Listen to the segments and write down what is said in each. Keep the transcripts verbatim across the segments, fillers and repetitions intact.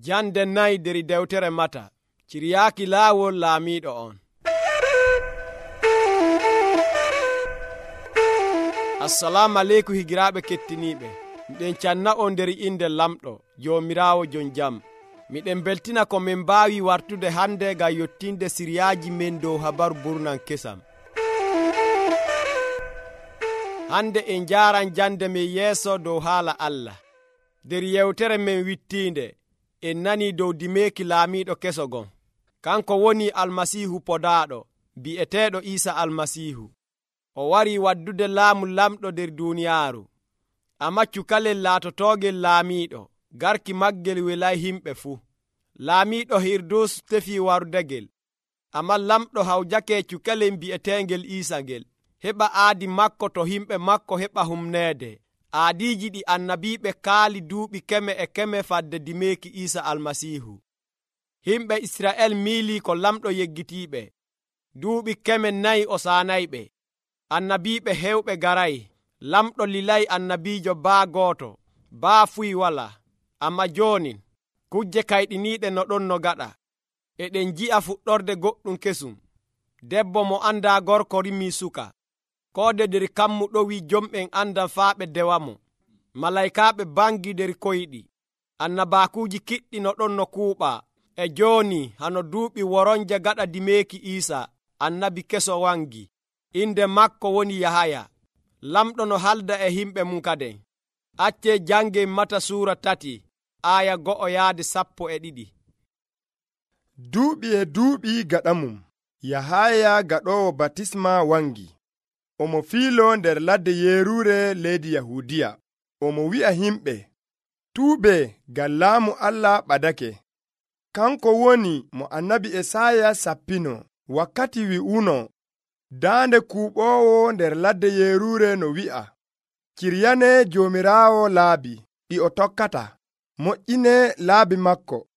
Jande nayi der dewtere Mata. Ciryaaki laawol laamiiɗo on. Assalamu aleykum higiraaɓe kettiniiɓe. Miɗen canna on nder inde lamɗo Joomiraawo jon jam. Miɗen beltina ko min mbaawi wartude hande ngam yottinde siryaaji men dow habaru burnan kesam. Hande en jaaran jande men yeeso dow haala Allah. Der yewtere men wittiinde en nani dow dimeeki laamiiɗo keso gon. Kanko woni Almasiihu podaaɗo, bi'eteeɗo Iisa Almasiihu. O wari waddude laamu lamɗo der duuniyaaru. Amma cukalel laatotoogel laamiiɗo, garki maggel welay himɓe fuu. Laamiiɗo Hirdus tefi warudegel. Amma lamɗo hawjake cukalel bi'eteengel Iisa ngel, heɓa aadi makko to himɓe makko heɓa humneede. Aadiiji ɗi annabiiɓe kaali duuɓi keme e keme fadde dimeeki Iisa Almasiihu. Himɓe Isra'el miilii ko lamɗo yeggitiiɓe. Duuɓi keme nayi o saanayɓe. Annabiiɓe hewɓe garay. Lamɗo lilay annabiijo baa gooto, baa fuy walaa. Amma jooni kujje kayɗiniiɗe no ɗon no gaɗa. Eɗen ji'a fuɗɗorde goɗɗum kesum. Debbo mo andaa gorko rimii suka. Koode der kammu ɗowi jomɓen andan faa ɓe dewamo. Malaykaaɓe bangi der koyɗi. Annabaakuuji kiɗɗi no ɗon no kuuɓaa. E jooni hano duuɓi woronje gaɗa dimeeki Iisa, annabi keso wangi. Inde makko woni Yahaya. Lamɗo no halda e himɓe mum kaden. Accee jangen Mata suura tati, aaya go'o yaade sappo e ɗiɗi. Duuɓi e duuɓi gaɗa mum, Yahaya gaɗoowo batisma wangi. Omo fiilo nder ladde Yeruure leydi Yahuudiya. Omo wi'a himɓe, tuube ngam laamu Allah ɓadake. Kanko woni mo annabi Esaya sappino wakkati wi'uno, daande kuuɓoowo nder ladde Yeruure no wi'a, ciryane Joomiraawo laabi ɗi o tokkata, moƴƴine laabi makko.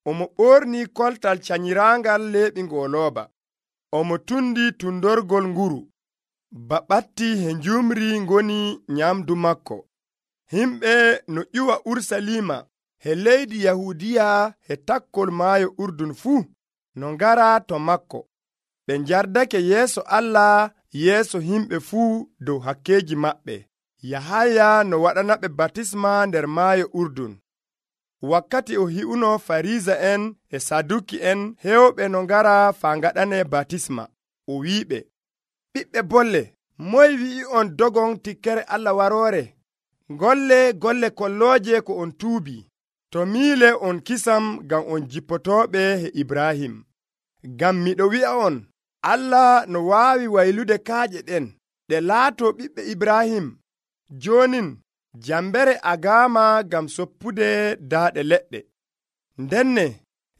Omo ɓorni koltal canyiraangal leeɓi ngolooba. Omo tundi tundorgol nguru. Baɓatti he njumri ngoni nyamdu makko. Himɓe no ƴuwa Urusalima he leydi Yahuudiya he takkol maayo Urdun fuu no ngara to makko. Ɓe njardake yeeso Allah yeeso himɓe fuu dow hakkeeji maɓɓe. Yahaya no waɗanaɓe batisma nder maayo Urdun. Wakkati o hi'uno Fariisa'en e Saduki'en hewɓe no ngara faa ngaɗane batisma. O wi'iɓe, ɓiɓɓe bolle, moy wi'i on dogon tikkere Allah waroore? Golle golle kollooje ko on tuubi. To miile on kisam ngam on jippotooɓe he Ibrahim. Ngam miɗo wi'a on, Allah no waawi waylude kaaƴe ɗen ɗe laatoo ɓiɓɓe Ibrahim. Joonin jambere agaama ngam soppude daaɗe leɗɗe. Ndenne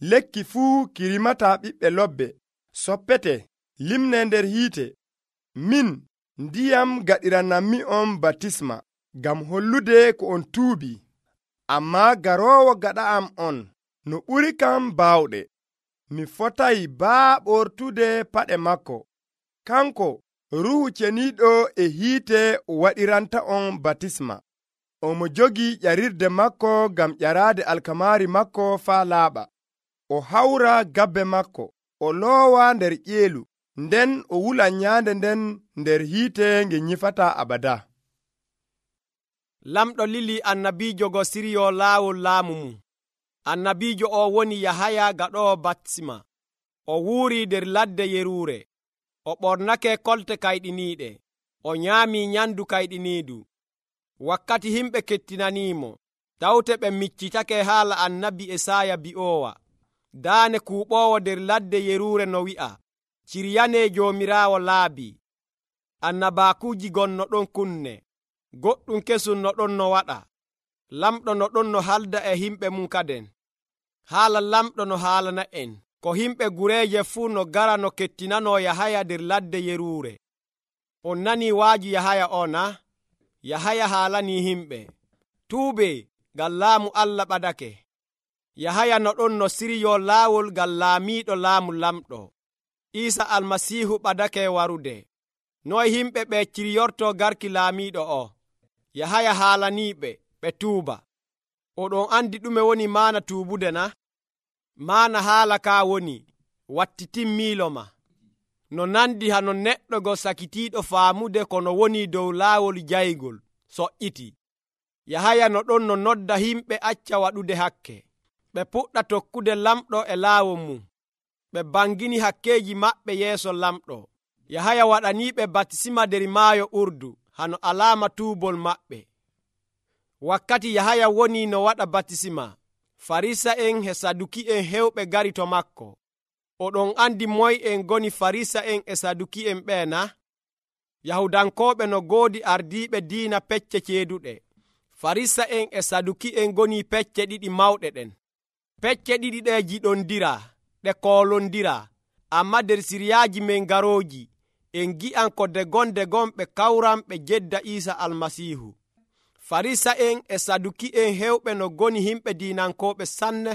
lekki fuu kirimata ɓiɓɓe lobbe soppete limne nder hiite. Min ndiyam gaɗiranammi on batisma ngam hollude ko on tuubi. Amma garoowo gaɗa am on no ɓuri kam baawɗe. Mi fotay baa ɓortude paɗe makko. Kanko Ruhu Ceniiɗo e hiite waɗiranta on batisma. Omo jogi ƴarirde makko ngam ƴaraade alkamaari makko faa laaɓa. O hawra gabbe makko, o loowa nder ƴeelu, nden o wula nyaande nden nder hiite nge nyifataa abada. Lamɗo lili annabiijo go siryo laawol laamu mum. Annabiijo o woni Yahaya gaɗoowo batisma. O wuuri nder ladde Yeruure. O ɓornake kolte kayɗiniiɗe. O nyaamii nyamdu kayɗiniidu. Wakkati himɓe kettinaniimo, tawte ɓe miccitake haala annabi Esaya bi'oowa. Daane kuuɓoowo nder ladde Yeruure no wi'a, ciryane Joomiraawo laabi. Annabaakuuji gon no ɗon kunne. Goɗɗum kesum no ɗon no waɗa. Lamɗo no ɗon no halda e himɓe mum kaden. Haala lamɗo no haalana en ko himɓe gureeje fuu no gara no kettinanoo Yahaya nder ladde Yeruure. On nanii waaju Yahaya o na? Yahaya haalanii himɓe, tuube ngam laamu Allah ɓadake. Yahaya no ɗon no siryo laawol ngam laamiiɗo laamu lamɗo. Iisa Almasiihu ɓadake warude. Noy himɓe ɓe ciryorto garki laamiiɗo o? Yahaya haalaniiɓe ɓe tuuba. oɗon andi ɗume woni maana tuubude na? Maana haala ka woni wattitin miilo ma, no nandi hano neɗɗo go sakitiiɗo faamude kono woni dow laawol jaygol soƴƴiti. Yahaya no ɗon no nodda himɓe acca waɗude hakke, ɓe puɗɗa tokkude lamɗo e laawol mum, ɓe bangini hakkeeji maɓɓe yeeso lamɗo. Yahaya waɗaniiɓe batisima der maayo Urdu hano alaama tuubol maɓɓe. Wakkati Yahaya woni no waɗa batisima, Farisa'en e Saduki'en hewɓe gari to makko. Oɗon andi moy en goni Farisa'en e Saduki'en ɓe na? Yahudankooɓe no goodi ardiiɓe diina pecce ceeduɗe. Farisa'en e Saduki'en goni pecce ɗiɗi mawɗe ɗen. Pecce ɗiɗi ɗe jiɗondira, ɗe koolondira, amma nder siryaaji men garooji en gi'an ko degon degon ɓe kawran ɓe jedda Iisa Almasiihu. Farisa'en e Saduki'en hewɓe no goni himɓe diinankooɓe sanne.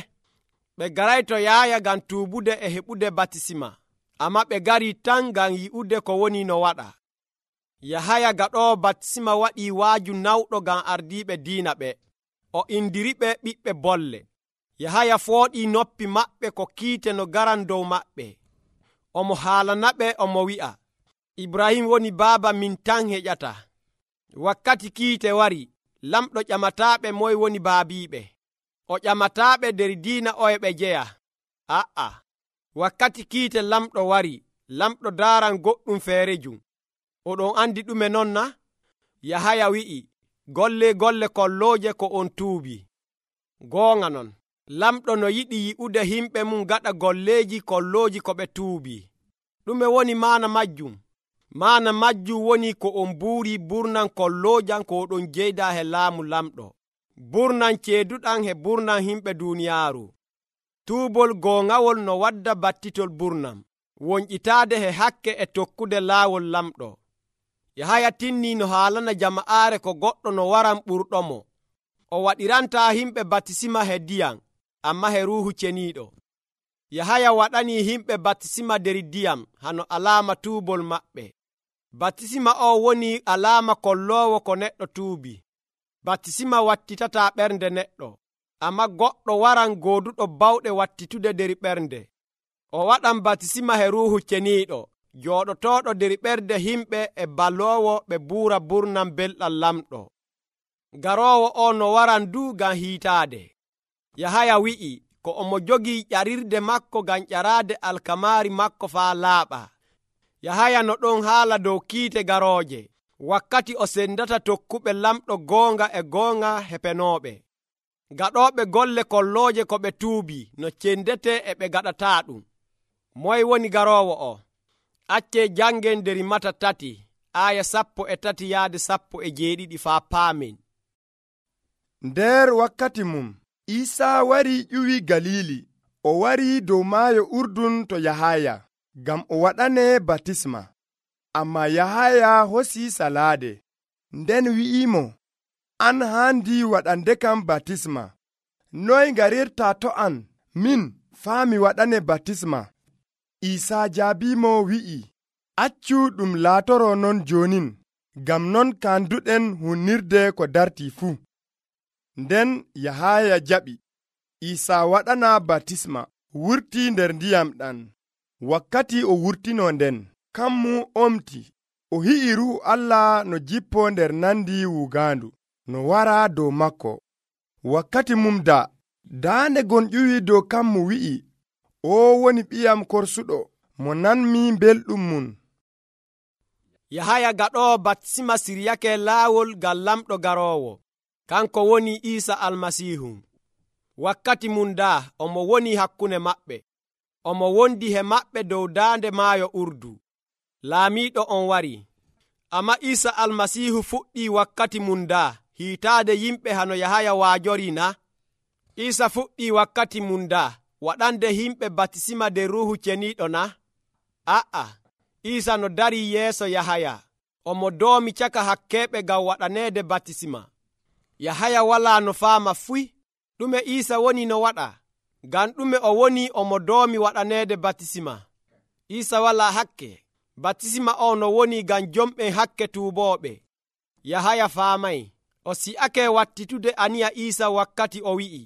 Ɓe garay to Yahaya ngam tuubude e heɓude batisima, amma ɓe gari tan ngam yi'ude ko woni no waɗa. Yahaya gaɗoowo batisima waɗii waaju nawɗo ngam ardiiɓe diina ɓe. O indiriɓe ɓiɓɓe bolle. Yahaya fooɗii noppi maɓɓe ko kiite no garan dow maɓɓe. Omo haalanaɓe omo wi'a, Ibrahim woni baaba min tan heƴata. Wakkati kiite wari, lamɗo ƴamataaɓe moy woni baabiiɓe. O ƴamataaɓe nder diina oye ɓe jeya. A'a, wakkati kiite lamɗo wari, lamɗo daaran goɗɗum feerejum. Oɗon andi ɗume non na? Yahaya wi'i, golle golle kollooje ko on tuubi. Goonga non, lamɗo no yiɗi yi'ude himɓe mum gaɗa golleeji kollooji ko ɓe tuubi. Ɗume woni maana majjum? Maana majjum woni ko on buuri burnan kolloojan ko oɗon jeyda he laamu lamɗo, burnan ceeduɗan he burnan himɓe duuniyaaru. Tuubol goongawol no wadda battitol burnam, wonƴitaade he hakke e tokkude laawol lamɗo. Yahaya tinnii no haalana jama'aare ko goɗɗo no waran ɓurɗomo. O waɗirantaa himɓe batisima he diyam, amma he Ruuhu Ceniiɗo. Yahaya waɗanii himɓe batisima nder diyam hano alaama tuubol maɓɓe. Batisima o woni alaama kolloowo ko neɗɗo tuubi. Batisima wattitataa ɓernde neɗɗo, amma goɗɗo waran gooduɗo bawɗe wattitude nder ɓernde. O waɗan batisima he Ruuhu Ceniiɗo, jooɗotooɗo nder ɓernde himɓe e baloowo ɓe buura burnam belɗam lamɗo. Garoowo o no waran du ngam hiitaade. Yahaya wi'i ko omo jogii ƴarirde makko ngam ƴaraade alkamaari makko faa laaɓa. Yahaya no ɗon haala dow kiite garooje, wakkati o sendata tokkuɓe lamɗo goonga e goonga hepenooɓe. Gaɗooɓe golle kollooje ko ɓe tuubi no cendete e ɓe gaɗataa ɗum. Moy woni garoowo o? Accee jangen nder Mata tati, aaya sappo e tati yaade sappo e jeeɗiɗi faa paamen. Nder wakkati mum, Iisaa wari ƴuwi Galili. O wari dow maayo Urdun to Yahaya, ngam o waɗane batisma. Amma Yahaya hosi salaade, nden wi'imo, an haandi waɗande kam batisma. Noy ngarirta to an, min faa mi waɗane batisma? Iisaa jaabimo wi'i, accu ɗum laatoro non jonin, ngam non kanduɗen hunnirde ko dartii fuu. Nden Yahaya jaɓi. Iisaa waɗana batisma, wurti nder ndiyam ɗan. Wakkati o wurtino nden, kammu omti. O hi'i Ruuhu Allah no jippo nder nandi wugaandu, no wara dow makko. Wakkati mum da, daande gon ƴuwi dow kammu wi'i, o woni ɓiyam korsuɗo, mo nanmi belɗum mum. Yahaya gaɗoowo batisima siryake laawol ngam lamɗo garoowo, kanko woni Iisa Almasiihu. Wakkati mum da, omo woni hakkunde maɓɓe. Omo wondi he maɓɓe dow daande maayo Urdu. Laamiiɗo on wari. Amma Iisa Almasiihu fuɗɗii wakkati mum da hiitaade yimɓe hano Yahaya waajori na? Iisa fuɗɗii wakkati mum da waɗande himɓe batisima nder Ruuhu Ceniiɗo na? A'a, Iisa no darii yeeso Yahaya. Omo doomi caka hakkeeɓe ngam waɗaneede batisima. Yahaya walaa no faama fuy ɗume Iisa woni no waɗa, ngam ɗume o woni omo doomi waɗaneede batisima. Iisa walaa hakke. Batisima o no woni ngam jomɓen hakke tuubooɓe. Yahaya faamay. o si'ake wattitude aniya Iisa wakkati o wi'i,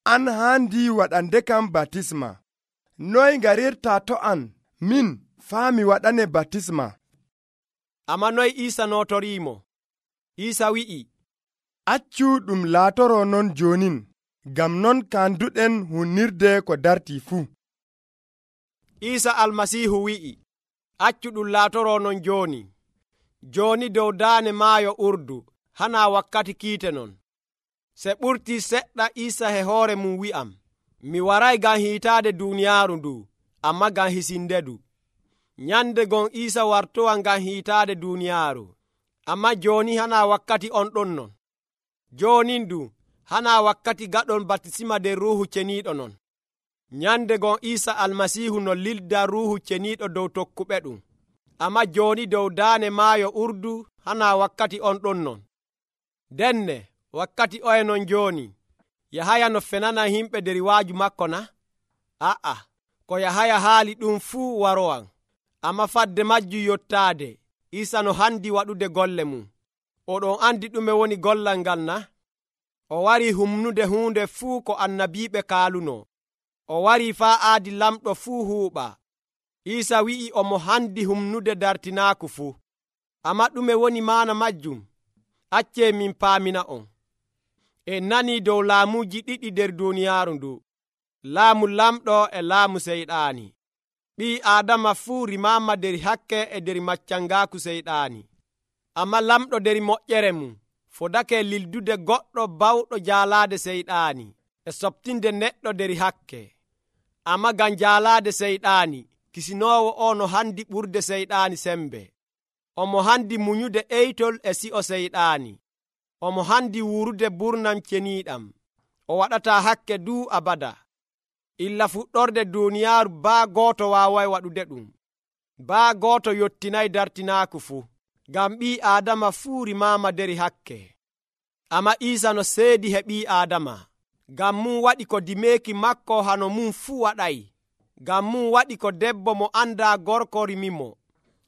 an haandi waɗande kam batisma. Noy ngarirta to an min faa mi waɗane batisma? Amma noy Iisa notoriimo? Iisa wi'i, accu ɗum laatoro non jonin, ngam non kanduɗen hunnirde ko darti fuu. Iisa almasiihu wi'i, accu ɗum laatoro non jooni. Jooni dow daane maayo Urdu, hana wakkati kiite non. Se ɓurtii seɗɗa Iisa he hoore mum wi'am, mi waray ngam hiitaade duuniyaaru ndu, amma ngam hisindedu. Nyande gon Iisa wartowa ngam hiitaade duuniyaaru, amma jooni hana wakkati on ɗon non. Joonin ndu hana wakkati gaɗon batisima nder Ruuhu Ceniiɗo non. Nyande gon Iisa almasiihu no lilda Ruuhu Ceniiɗo dow tokkuɓe ɗum, amma jooni dow daane maayo Urdu hana wakkati on ɗon non. Denne wakkati oye non jooni, Yahaya no fenana himɓe nder waaju makko na? A'a, ko Yahaya haali ɗum fuu warowan, amma fadde majjum yottaade, Iisa no handi waɗude golle mum. Oɗon andi ɗume woni gollal ngal na? O wari humnude huunde fuu ko annabiiɓe kaaluno. O wari faa aadi lamɗo fuu huuɓa. Iisa wi'i omo handi humnude dartinaaku fuu. Amma ɗume woni maana majjum? Accee min paamina on. En nanii dow laamuuji ɗiɗi nder duuniyaaru ndu, laamu lamɗo e laamu seyɗaani. Ɓii Aadama fuu rimaama nder hakke e nder maccangaaku seyɗaani. Amma lamɗo nder moƴƴere mum fodake lildude goɗɗo bawɗo jaalaade seyɗaani e soɓtinde neɗɗo nder hakke. Amma ngam jaalaade seyɗaani, kisinoowo o no handi ɓurde seyɗaani sembe. Omo handi munyude eytol e si'o seyɗaani. Omo handi wuurude burnam ceniiɗam. O waɗataa hakke duu abada. Illa fuɗɗorde duuniyaaru baa gooto waaway waɗude ɗum. Baa gooto yottinayi dartinaaku fuu, ngam ɓii Aadama fuu rimaama nder hakke. Amma Iisa no seedi he ɓii Aadama, ngam mum waɗi ko dimeeki makko hano mum fuu waɗayi. Ngam mum waɗi ko debbo mo andaa gorko rimimo.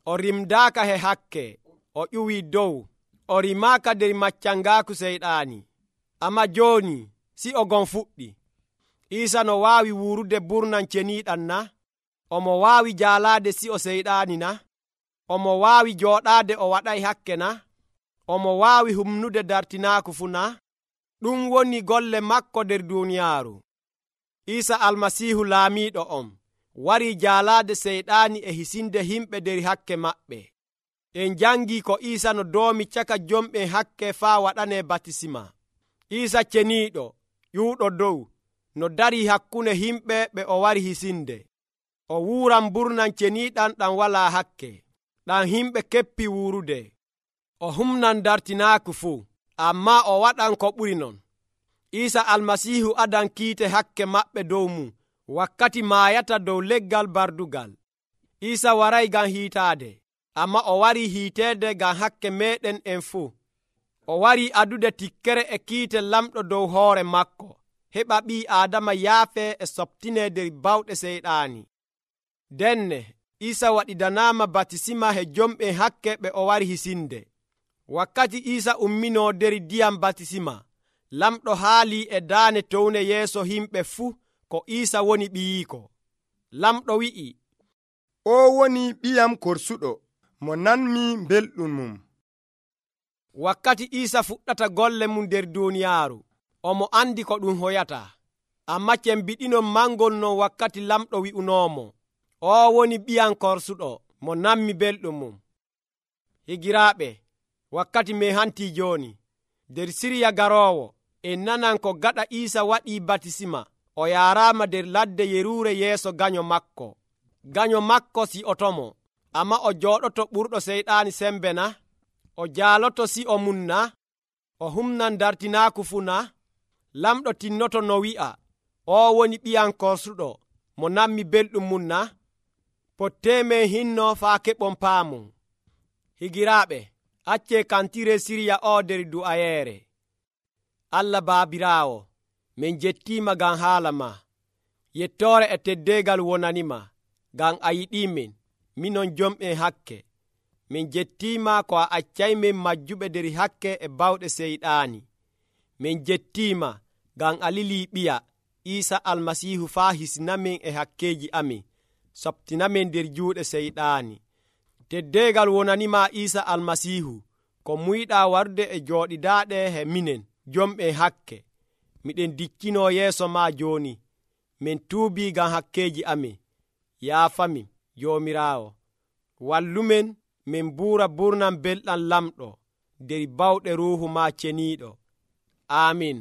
O rimdaaka he hakke, o ƴuwii dow, o rimaaka nder maccangaaku seyɗaani. Amma jooni si o gon fuɗɗi. Iisa no waawi wuurude burnam ceniiɗam na? Omo waawi jaalaade si'o seyɗaani na? Omo waawi jooɗaade o waɗay hakke na? Omo waawi humnude dartinaaku fuu na? Ɗum woni golle makko nder duuniyaaru. Iisa almasiihu laamiiɗo on warii jaalaade seyɗaani e hisinde himɓe nder hakke maɓɓe. En jangii ko Iisa no doomi caka jomɓe hakke faa waɗanee batisima. Iisa ceniiɗo ƴuuɗo dow no darii hakkunde himɓe ɓe o wari hisinde. O wuuran burnam ceniiɗam ɗam walaa hakke, ɗam himɓe keppi wuurude. O humnan dartinaaku fuu, amma o waɗan ko ɓuri non. Iisa almasiihu adan kiite hakke maɓɓe dow mum wakkati maayata dow leggal bardugal. Iisa waray ngam hiitaade, amma o warii hiiteede ngam hakke meeɗen en fuu. O warii adude tikkere e kiite lamɗo dow hoore makko, heɓa ɓii Aadama yaafee e soɓtinee nder bawɗe seyɗaani. Denne Iisa waɗidanaama batisima he jomɓe hakke ɓe o wari hisinde. Wakkati Iisa umminoo nder ndiyam batisima, lamɗo haalii e daane towne yeeso himɓe fuu ko Iisa woni ɓiyiiko. Lamɗo wi'i, o woni ɓiyam korsuɗo mo nanmi belɗum mum. Wakkati Iisa fuɗɗata golle mum nder duuniyaaru, omo andi ko ɗum hoyata, amma cembiɗinon mangol non wakkati lamɗo wi'unoomo, o woni ɓiyam korsuɗo mo nanmi belɗum mum. Higiraaɓe, wakkati me hantii jooni, nder siriya garoowo, en nanan ko gaɗa Iisa waɗii batisima, o yaaraama nder ladde yeruure yeeso ganyo makko. Ganyo makko si'otomo, amma o jooɗoto ɓurɗo seyɗaani sembe na? O jaaloto si'o mum na? O humnan dartinaaku fuu na? Lamɗo tinnoto no wi'a, o woni ɓiyam korsuɗo mo nanmi belɗum mum na? Potteemen hinno faa keɓon paamu. Higiraaɓe, accee kantire siriya o nder du'ayeere. Allah Baabiraawo, min jettiima ngam haala ma. Yettoore e teddeegal wonanima, ngam a yiɗiimin, minon jomɓe hakke. min jettiima ko a accaymin majjuɓe nder hakke e bawɗe seyɗaani. min jettiima ngam a lilii ɓiya Iisa almasiihu faa hisinamin e hakkeeji amin, soɓtinamin nder juuɗe seyɗaani. Teddeegal wonanima Iisa almasiihu, ko muyɗaa warde e jooɗidaaɗe he minen jomɓe hakke. miɗen diccinoo yeeso maa jooni. min tuubii ngam hakkeeji amin. yaafamin Joomiraawo. wallumen min buura burnam belɗam lamɗo nder bawɗe ruuhu maa ceniiɗo. Aamin.